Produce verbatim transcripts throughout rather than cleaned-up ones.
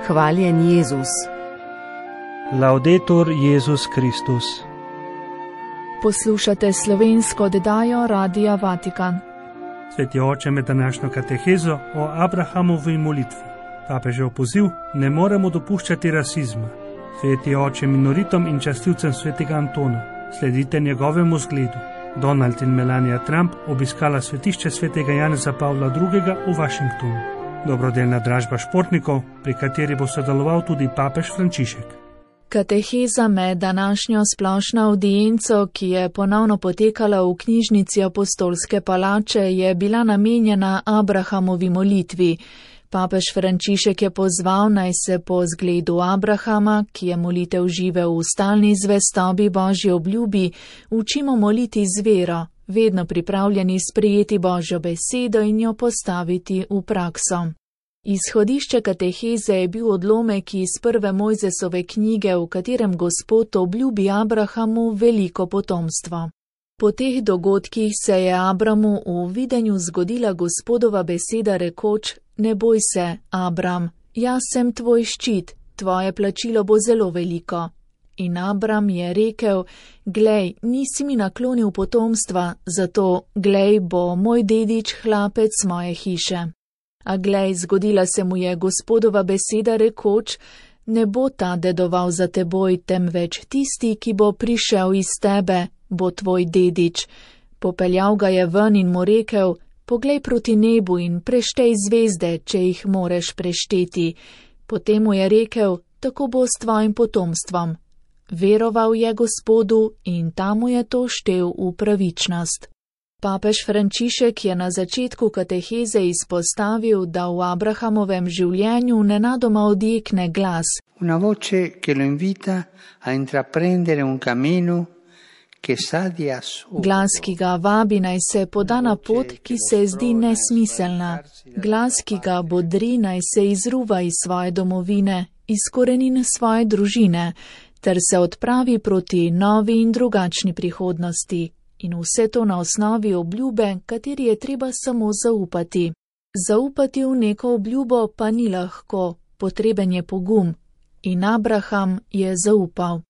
Hvaljen Jezus. Laudetur Jezus Kristus. Poslušate slovensko oddajo Radia Vatikan. Sveti oče, med današnjo katehezo o Abrahamovi molitvi. Papežev poziv: ne moremo dopuščati rasizma. Sveti oče, minoritom in častilcem svetega Antona, sledite njegovemu zgledu. Donald in Melania Trump obiskala svetišče svetega Janeza Pavla drugega v Washingtonu. Dobrodelna dražba športnikov, pri kateri bo sodeloval tudi papež Frančišek. Kateheza med današnjo splošno avdienco, ki je ponovno potekala v knjižnici Apostolske palače, je bila namenjena Abrahamovi molitvi. Papež Frančišek je pozval, naj se po zgledu Abrahama, ki je molitev živel v stalni zvestobi Božji obljubi, učimo moliti z vero, vedno pripravljeni sprejeti Božjo besedo in jo postaviti v prakso. Izhodišče kateheze je bil odlomek iz prve Mojzesove knjige, v katerem Gospod obljubi Abrahamu veliko potomstvo. Po teh dogodkih se je Abramu v videnju zgodila Gospodova beseda rekoč: ne boj se, Abram, jaz sem tvoj ščit, tvoje plačilo bo zelo veliko. In Abram je rekel: glej, nisi mi naklonil potomstva, zato, glej, bo moj dedič hlapec moje hiše. A glej, zgodila se mu je Gospodova beseda rekoč: ne bo ta dedoval za teboj, temveč tisti, ki bo prišel iz tebe, bo tvoj dedič. Popeljal ga je ven in mu rekel: poglej proti nebu in preštej zvezde, če jih moreš prešteti. Potem mu je rekel: tako bo s tvojim potomstvom. Veroval je Gospodu in ta mu je to štel v pravičnost. Papež Frančišek je na začetku kateheze izpostavil, da v Abrahamovem življenju nenadoma odjekne glas. Una voce che lo invita a intraprendere un cammino che sa di assurdo. Glas, ki ga vabi, naj se poda na pot, ki se zdi nesmiselna. Glas, ki ga bodri, naj se izruva iz svoje domovine, iz korenin svoje družine, ter se odpravi proti novi in drugačni prihodnosti. In vse to na osnovi obljube, kateri je treba samo zaupati. Zaupati v neko obljubo pa ni lahko, potreben je pogum. In Abraham je zaupal.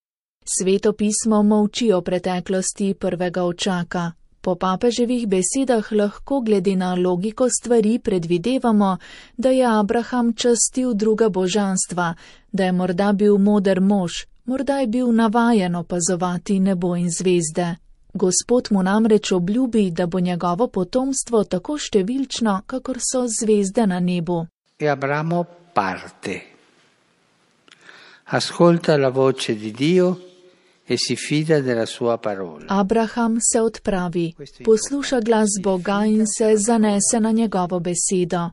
Sveto pismo molči o preteklosti prvega očaka. Po papeževih besedah lahko glede na logiko stvari predvidevamo, da je Abraham častil druga božanstva, da je morda bil moder mož, morda je bil navajen opazovati nebo in zvezde. Gospod mu namreč obljubi, da bo njegovo potomstvo tako številčno, kakor so zvezde na nebu. E Abramo parte. Ascolta la voce di Dio e si fida della sua parola. Abraham se odpravi, posluša glas Boga in se zanese na njegovo besedo.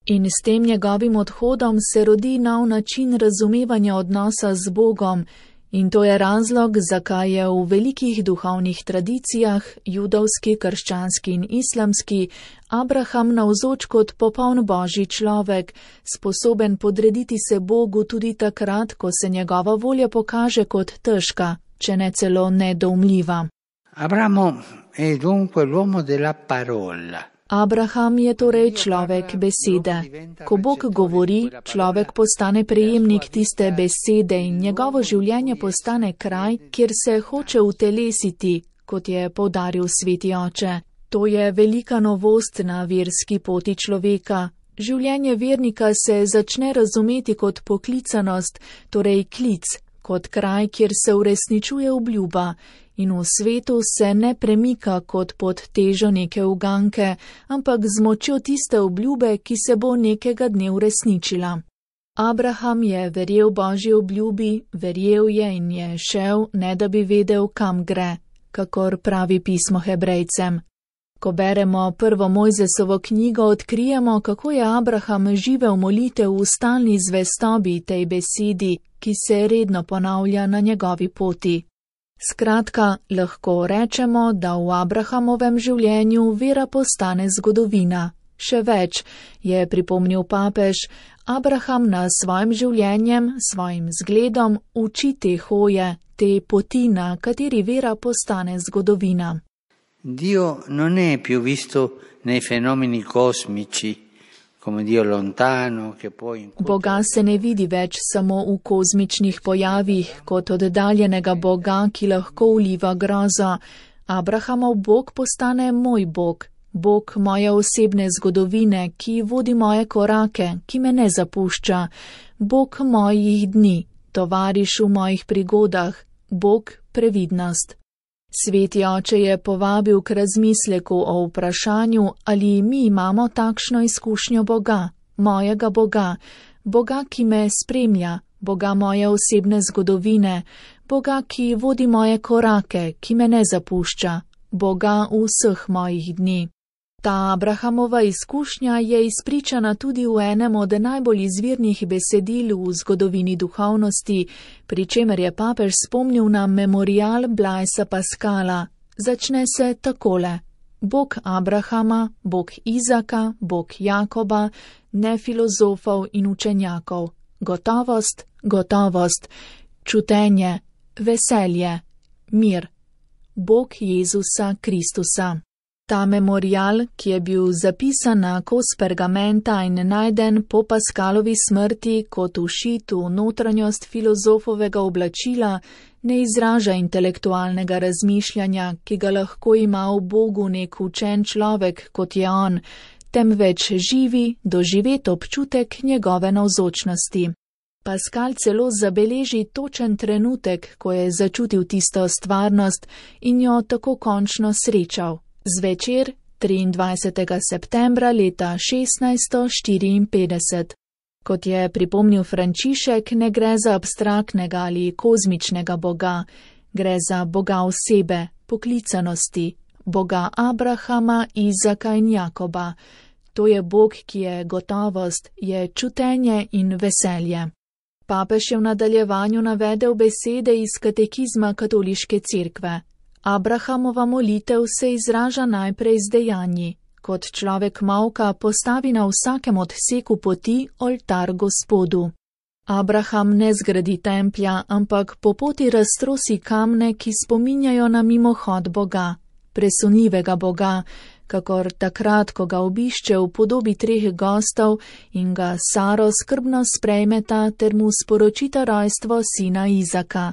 In s tem njegovim odhodom se rodi nov način razumevanja odnosa z Bogom. In to je razlog, zakaj je v velikih duhovnih tradicijah, judovski, krščanski in islamski, Abraham navzoč kot popoln božji človek, sposoben podrediti se Bogu tudi takrat, ko se njegova volja pokaže kot težka, če ne celo nedoumljiva. Abramo è dunque l'uomo della parola. Abraham je torej človek besede. Ko Bog govori, človek postane prejemnik tiste besede in njegovo življenje postane kraj, kjer se hoče utelesiti, kot je poudaril sveti oče. To je velika novost na verski poti človeka. Življenje vernika se začne razumeti kot poklicanost, torej klic, kot kraj, kjer se uresničuje obljuba. In v svetu se ne premika kot pod težo neke uganke, ampak z močjo tiste obljube, ki se bo nekega dne uresničila. Abraham je verjel Božji obljubi, verjel je in je šel, ne da bi vedel, kam gre, kakor pravi pismo Hebrejcem. Ko beremo prvo Mojzesovo knjigo, odkrijemo, kako je Abraham živel molitev v stalni zvestobi tej besedi, ki se redno ponavlja na njegovi poti. Skratka, lahko rečemo, da v Abrahamovem življenju vera postane zgodovina. Še več, je pripomnil papež, Abraham na svojim življenjem, svojim zgledom uči te hoje, te poti, na kateri vera postane zgodovina. Dio non è più visto nei fenomeni cosmici come Dio lontano, che può incutere. Boga se ne vidi več samo v kozmičnih pojavih, kot oddaljenega Boga, ki lahko vliva grozo. Abrahamov Bog postane moj Bog, Bog moje osebne zgodovine, ki vodi moje korake, ki me ne zapušča, Bog mojih dni, tovariš v mojih prigodah, Bog previdnost. Sveti oče je povabil k razmisleku o vprašanju, ali mi imamo takšno izkušnjo Boga, mojega Boga, Boga, ki me spremlja, Boga moje osebne zgodovine, Boga, ki vodi moje korake, ki me ne zapušča, Boga vseh mojih dni. Ta Abrahamova izkušnja je izpričana tudi v enem od najbolj izvirnih besedil v zgodovini duhovnosti, pri čemer je papež spomnil na memorial Blaisa Pascala. Začne se takole: Bog Abrahama, Bog Izaka, Bog Jakoba, ne filozofov in učenjakov. Gotovost, gotovost, čutenje, veselje, mir. Bog Jezusa Kristusa. Ta memorial, ki je bil zapisan na kos pergamenta in najden po Pascalovi smrti kot všit v notranjost filozofovega oblačila, ne izraža intelektualnega razmišljanja, ki ga lahko ima v Bogu nek učen človek, kot je on, temveč živi, doživet občutek njegove navzočnosti. Pascal celo zabeleži točen trenutek, ko je začutil tisto stvarnost in jo tako končno srečal. Zvečer triindvajsetega septembra leta šestnajststo štiriinpetdeset. Kot je pripomnil Frančišek, ne gre za abstraktnega ali kozmičnega Boga, gre za Boga osebe, poklicanosti, Boga Abrahama, Izaka in Jakoba. To je Bog, ki je gotovost, je čutenje in veselje. Papež je v nadaljevanju navedel besede iz katekizma katoliške cerkve. Abrahamova molitev se izraža najprej z dejanji. Kot človek molka postavi na vsakem odseku poti oltar Gospodu. Abraham ne zgradi templja, ampak po poti raztrosi kamne, ki spominjajo na mimohod Boga, presunljivega Boga, kakor takrat, ko ga obišče v podobi treh gostov in ga Saro skrbno sprejmeta ter mu sporočita rojstvo sina Izaka.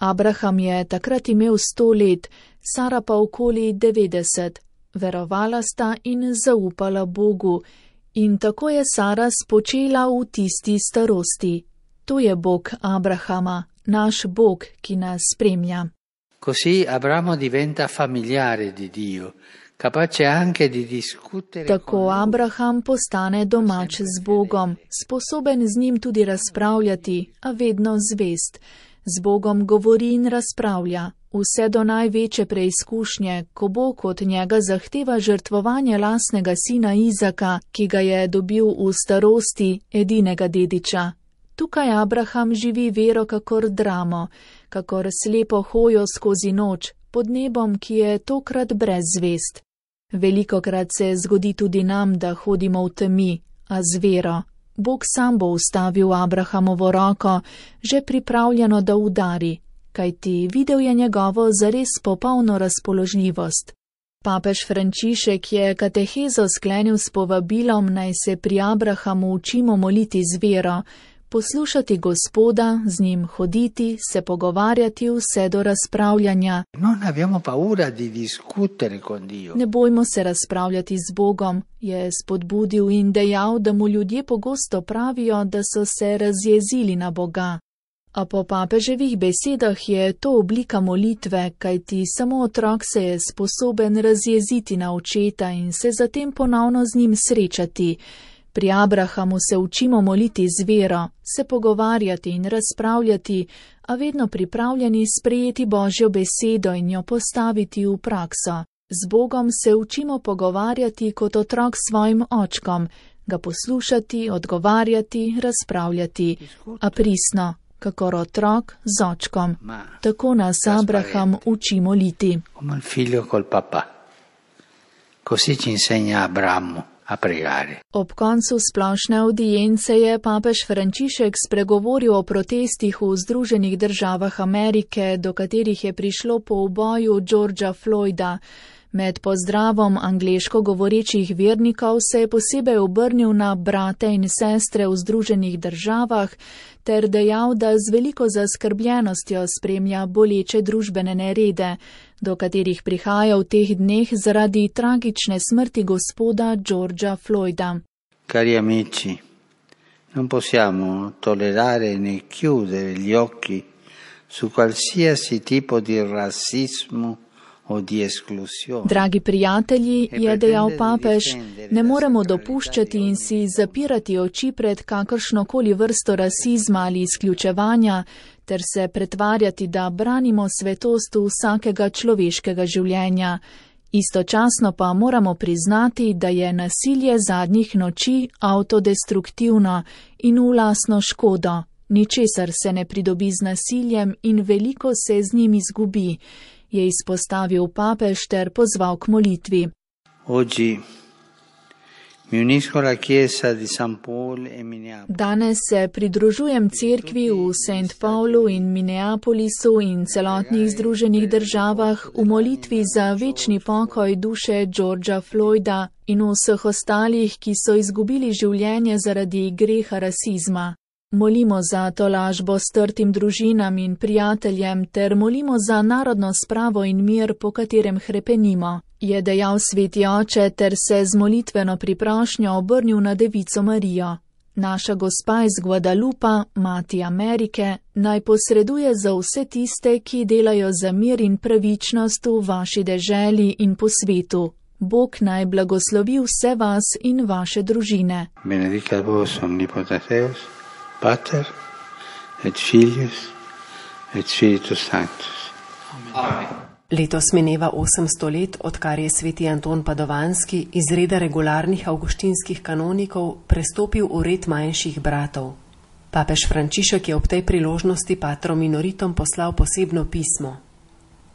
Abraham je takrat imel sto let, Sara pa okoli devetdeset. Verovala sta in zaupala Bogu. In tako je Sara spočela v tisti starosti. To je Bog Abrahama, naš Bog, ki nas spremlja. Così Abramo diventa familiare di Dio, capace anche di discutere. Tako Abraham postane domač z Bogom, sposoben z njim tudi razpravljati, a vedno zvest. Z Bogom govori in razpravlja, vse do največje preizkušnje, ko Bog od njega zahteva žrtvovanje lastnega sina Izaka, ki ga je dobil v starosti, edinega dediča. Tukaj Abraham živi vero kakor dramo, kakor slepo hojo skozi noč, pod nebom, ki je tokrat brez zvest. Velikokrat se zgodi tudi nam, da hodimo v temi, a z vero. Bog sam bo ustavil Abrahamovo roko, že pripravljeno, da udari, kajti videl je njegovo zares popolno razpoložljivost. Papež Frančišek je katehezo sklenil s povabilom, naj se pri Abrahamu učimo moliti z vero, poslušati Gospoda, z njim hoditi, se pogovarjati vse do razpravljanja. Non abbiamo paura di discutere con Dio. Ne bojmo se razpravljati z Bogom, je spodbudil in dejal, da mu ljudje pogosto pravijo, da so se razjezili na Boga. A po papeževih besedah je to oblika molitve, kajti samo otrok se je sposoben razjeziti na očeta in se zatem ponovno z njim srečati. Pri Abrahamu se učimo moliti z vero, se pogovarjati in razpravljati, a vedno pripravljeni sprejeti Božjo besedo in jo postaviti v prakso. Z Bogom se učimo pogovarjati kot otrok s svojim očkom, ga poslušati, odgovarjati, razpravljati, a pristno, kakor otrok z očkom. Tako nas Abraham uči moliti. Come il figlio col papà. Così ci insegna Abramo. Ob koncu splošne avdience je papež Frančišek spregovoril o protestih v Združenih državah Amerike, do katerih je prišlo po uboju Georgea Floyda. Med pozdravom angleško govorečih vernikov se je posebej obrnil na brate in sestre v Združenih državah ter dejal, da z veliko zaskrbljenostjo spremlja boleče družbene nerede, do katerih prihaja v teh dneh zaradi tragične smrti gospoda Georgea Floyda. Cari amici, non possiamo tollerare né chiudere gli occhi su qualsiasi tipo di razzismo. Dragi prijatelji, je dejal papež, ne moremo dopuščati in si zapirati oči pred kakršnokoli vrsto rasizma ali izključevanja, ter se pretvarjati, da branimo svetost vsakega človeškega življenja. Istočasno pa moramo priznati, da je nasilje zadnjih noči avtodestruktivno in v lastno škodo. Ničesar se ne pridobi z nasiljem in veliko se z njim izgubi, je izpostavil papež ter pozval k molitvi. Danes se pridružujem cerkvi v Saint Paulu in Minneapolisu in celotnih Združenih državah v molitvi za večni pokoj duše Georgea Floyda in vseh ostalih, ki so izgubili življenje zaradi greha rasizma. Molimo za tolažbo strtim družinam in prijateljem ter molimo za narodno spravo in mir, po katerem hrepenimo, je dejal sveti oče ter se z molitveno priprošnjo obrnil na Devico Marijo. Naša gospa iz Guadalupa, mati Amerike, naj posreduje za vse tiste, ki delajo za mir in pravičnost v vaši deželi in po svetu. Bog naj blagoslovi vse vas in vaše družine. Benedicat vos omnipotens Deus, Pater et Filius et Spiritus Sanctus. Amen. Letos mineva osemsto let, odkar je sveti Anton Padovanski iz reda regularnih avguštinskih kanonikov prestopil v red manjših bratov. Papež Frančišek je ob tej priložnosti patrom minoritom poslal posebno pismo.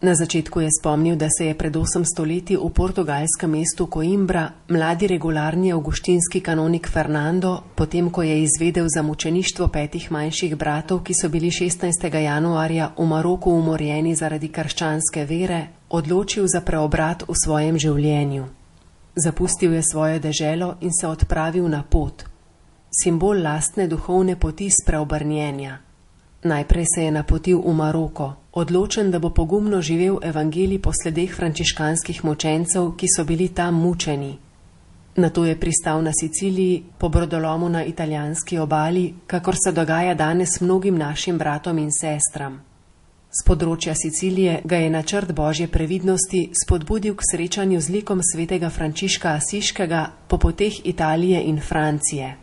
Na začetku je spomnil, da se je pred osemsto leti v portugalskem mestu Coimbra mladi regularni avguštinski kanonik Fernando, potem ko je izvedel za mučeništvo petih manjših bratov, ki so bili šestnajstega januarja v Maroku umorjeni zaradi krščanske vere, odločil za preobrat v svojem življenju. Zapustil je svojo deželo in se odpravil na pot, simbol lastne duhovne poti spreobrnjenja. Najprej se je napotil v Maroko, odločen, da bo pogumno živel evangelij po sledeh frančiškanskih mučencev, ki so bili tam mučeni. Nato je pristal na Siciliji, po brodolomu na italijanski obali, kakor se dogaja danes mnogim našim bratom in sestram. Z področja Sicilije ga je načrt Božje previdnosti spodbudil k srečanju z likom svetega Frančiška Asiškega po poteh Italije in Francije.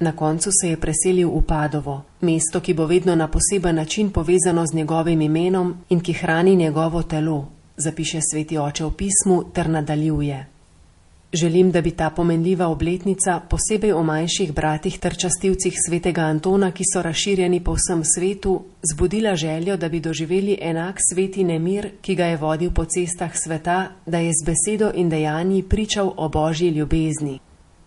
Na koncu se je preselil v Padovo, mesto, ki bo vedno na poseben način povezano z njegovim imenom in ki hrani njegovo telo, zapiše sveti oče v pismu ter nadaljuje. Želim, da bi ta pomenljiva obletnica, posebej o manjših bratih ter častilcih svetega Antona, ki so razširjeni po vsem svetu, zbudila željo, da bi doživeli enak sveti nemir, ki ga je vodil po cestah sveta, da je z besedo in dejanji pričal o Božji ljubezni.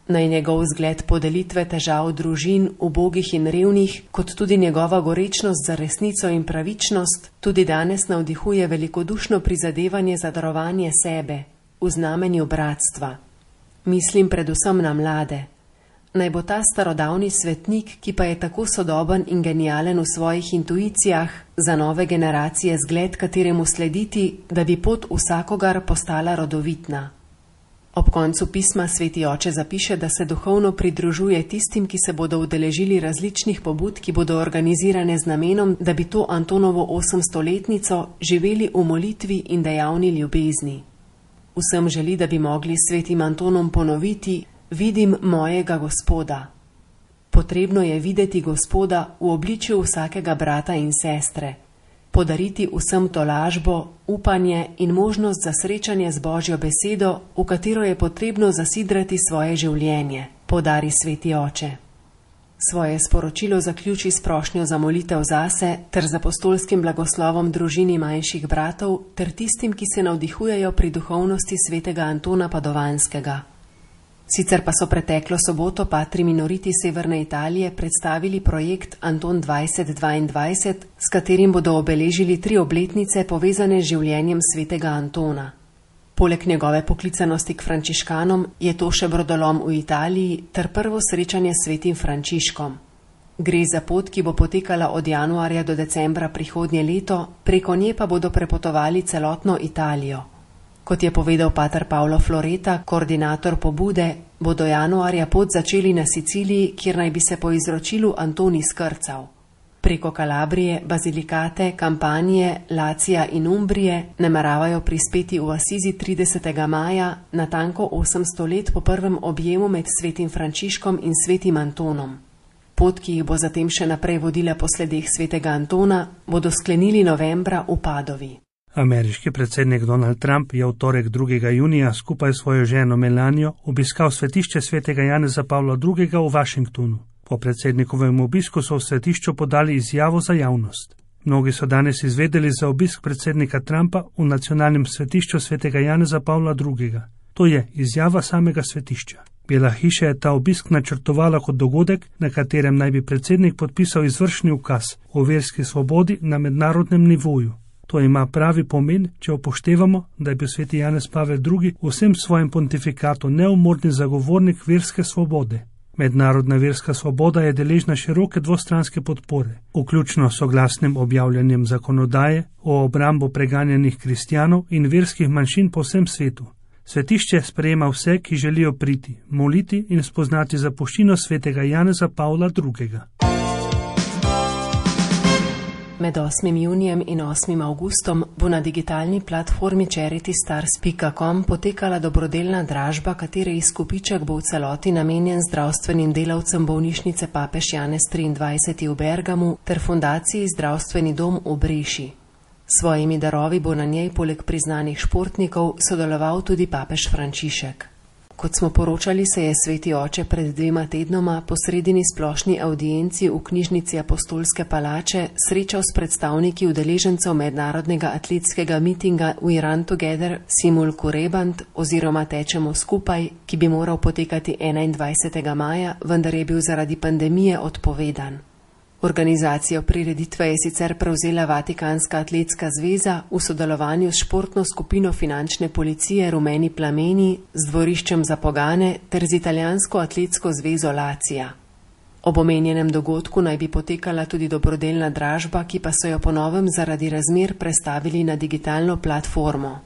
Naj njegov zgled podelitve težav družin, ubogih in revnih, kot tudi njegova gorečnost za resnico in pravičnost, tudi danes navdihuje velikodušno prizadevanje za darovanje sebe, v znamenju bratstva. Mislim predvsem na mlade. Naj bo ta starodavni svetnik, ki pa je tako sodoben in genijalen v svojih intuicijah, za nove generacije zgled, kateremu slediti, da bi pot vsakogar postala rodovitna. Ob koncu pisma sveti oče zapiše, da se duhovno pridružuje tistim, ki se bodo udeležili različnih pobud, ki bodo organizirane z namenom, da bi to Antonovo osemstoletnico živeli v molitvi in dejavni ljubezni. Vsem želi, da bi mogli s svetim Antonom ponoviti: vidim mojega Gospoda. Potrebno je videti Gospoda v obličju vsakega brata in sestre, podariti vsem tolažbo, upanje in možnost za srečanje z Božjo besedo, v katero je potrebno zasidrati svoje življenje, podari sveti oče. Svoje sporočilo zaključi s prošnjo za molitev zase ter z apostolskim blagoslovom družini manjših bratov ter tistim, ki se navdihujejo pri duhovnosti svetega Antona Padovanskega. Sicer pa so preteklo soboto patri minoriti Severne Italije predstavili projekt Anton dvajset dvaindvajset, s katerim bodo obeležili tri obletnice povezane z življenjem svetega Antona. Poleg njegove poklicanosti k frančiškanom je to še brodolom v Italiji ter prvo srečanje s svetim Frančiškom. Gre za pot, ki bo potekala od januarja do decembra prihodnje leto, preko nje pa bodo prepotovali celotno Italijo. Kot je povedal pater Paolo Floreta, koordinator pobude, bodo januarja pot začeli na Siciliji, kjer naj bi se po izročilu Antonij skrcal. Preko Kalabrije, Bazilikate, Kampanije, Lacija in Umbrije nameravajo prispeti v Asizi tridesetega maja, natanko osemsto let po prvem objemu med svetim Frančiškom in svetim Antonom. Pot, ki jih bo zatem še naprej vodila po sledeh svetega Antona, bodo sklenili novembra v Padovi. Ameriški predsednik Donald Trump je v torek drugega junija skupaj s svojo ženo Melanijo obiskal svetišče svetega Janeza Pavla drugega v Washingtonu. Po predsednikovem obisku so v svetišču podali izjavo za javnost. Mnogi so danes izvedeli za obisk predsednika Trumpa v nacionalnem svetišču svetega Janeza Pavla drugega. To je izjava samega svetišča. Bela hiša je ta obisk načrtovala kot dogodek, na katerem naj bi predsednik podpisal izvršni ukaz o verski svobodi na mednarodnem nivoju. To ima pravi pomen, če upoštevamo, da je bil sveti Janez Pavel drugi v vsem svojem pontifikatu neumorni zagovornik verske svobode. Mednarodna verska svoboda je deležna široke dvostranske podpore, vključno s soglasnim objavljanjem zakonodaje o obrambo preganjanih kristjanov in verskih manjšin po vsem svetu. Svetišče sprejema vse, ki želijo priti, moliti in spoznati zapuščino svetega Janeza Pavla drugega. Med osmim junijem in osmim avgustom bo na digitalni platformi charity stars pika com potekala dobrodelna dražba, katere izkupiček bo v celoti namenjen zdravstvenim delavcem bolnišnice Papež Janez triindvajseti v Bergamu ter fundaciji Zdravstveni dom v Breši. S svojimi darovi bo na njej poleg priznanih športnikov sodeloval tudi papež Frančišek. Kot smo poročali, se je sveti oče pred dvema tednoma po sredini splošni audienci v knjižnici Apostolske palače srečal s predstavniki udeležencev mednarodnega atletskega mitinga We Run Together Simul Kurebant oziroma Tečemo skupaj, ki bi moral potekati enaindvajsetega maja, vendar je bil zaradi pandemije odpovedan. Organizacijo prireditve je sicer prevzela Vatikanska atletska zveza v sodelovanju s športno skupino finančne policije Rumeni plameni, z dvoriščem za pogane ter z italijansko atletsko zvezo Lacija. Ob omenjenem dogodku naj bi potekala tudi dobrodelna dražba, ki pa so jo po novem zaradi razmer prestavili na digitalno platformo.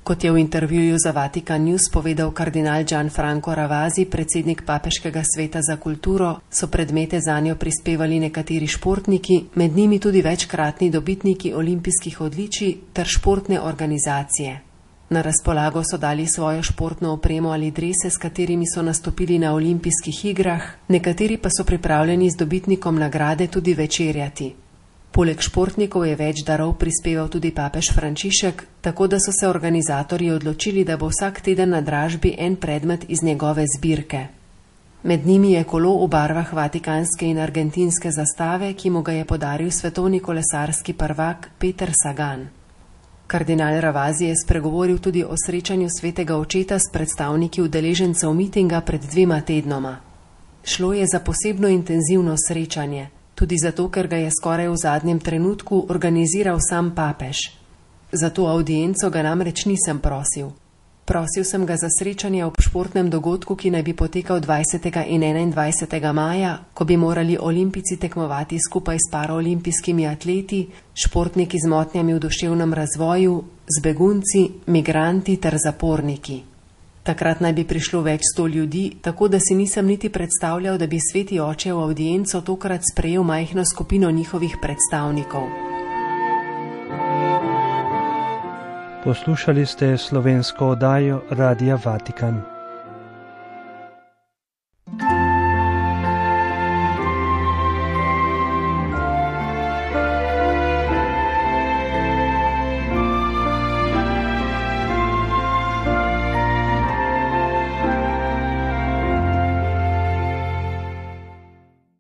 Kot je v intervjuju za Vatikan News povedal kardinal Gianfranco Ravasi, predsednik Papeškega sveta za kulturo, so predmete zanjo prispevali nekateri športniki, med njimi tudi večkratni dobitniki olimpijskih odličij ter športne organizacije. Na razpolago so dali svojo športno opremo ali drese, s katerimi so nastopili na olimpijskih igrah, nekateri pa so pripravljeni z dobitnikom nagrade tudi večerjati. Poleg športnikov je več darov prispeval tudi papež Frančišek, tako da so se organizatorji odločili, da bo vsak teden na dražbi en predmet iz njegove zbirke. Med njimi je kolo v barvah vatikanske in argentinske zastave, ki mu ga je podaril svetovni kolesarski prvak Peter Sagan. Kardinal Ravasi je spregovoril tudi o srečanju svetega očeta s predstavniki udeležencev mitinga pred dvema tednoma. Šlo je za posebno intenzivno srečanje, tudi zato, ker ga je skoraj v zadnjem trenutku organiziral sam papež. Za to audienco ga namreč nisem prosil. Prosil sem ga za srečanje ob športnem dogodku, ki naj bi potekal dvajsetega in enaindvajsetega maja, ko bi morali olimpijci tekmovati skupaj s paraolimpijskimi atleti, športniki z motnjami v duševnem razvoju, z begunci, migranti ter zaporniki. Takrat naj bi prišlo več sto ljudi, tako da si nisem niti predstavljal, da bi sveti oče v audienco tokrat sprejel majhno skupino njihovih predstavnikov. Poslušali ste slovensko oddajo Radia Vatikan.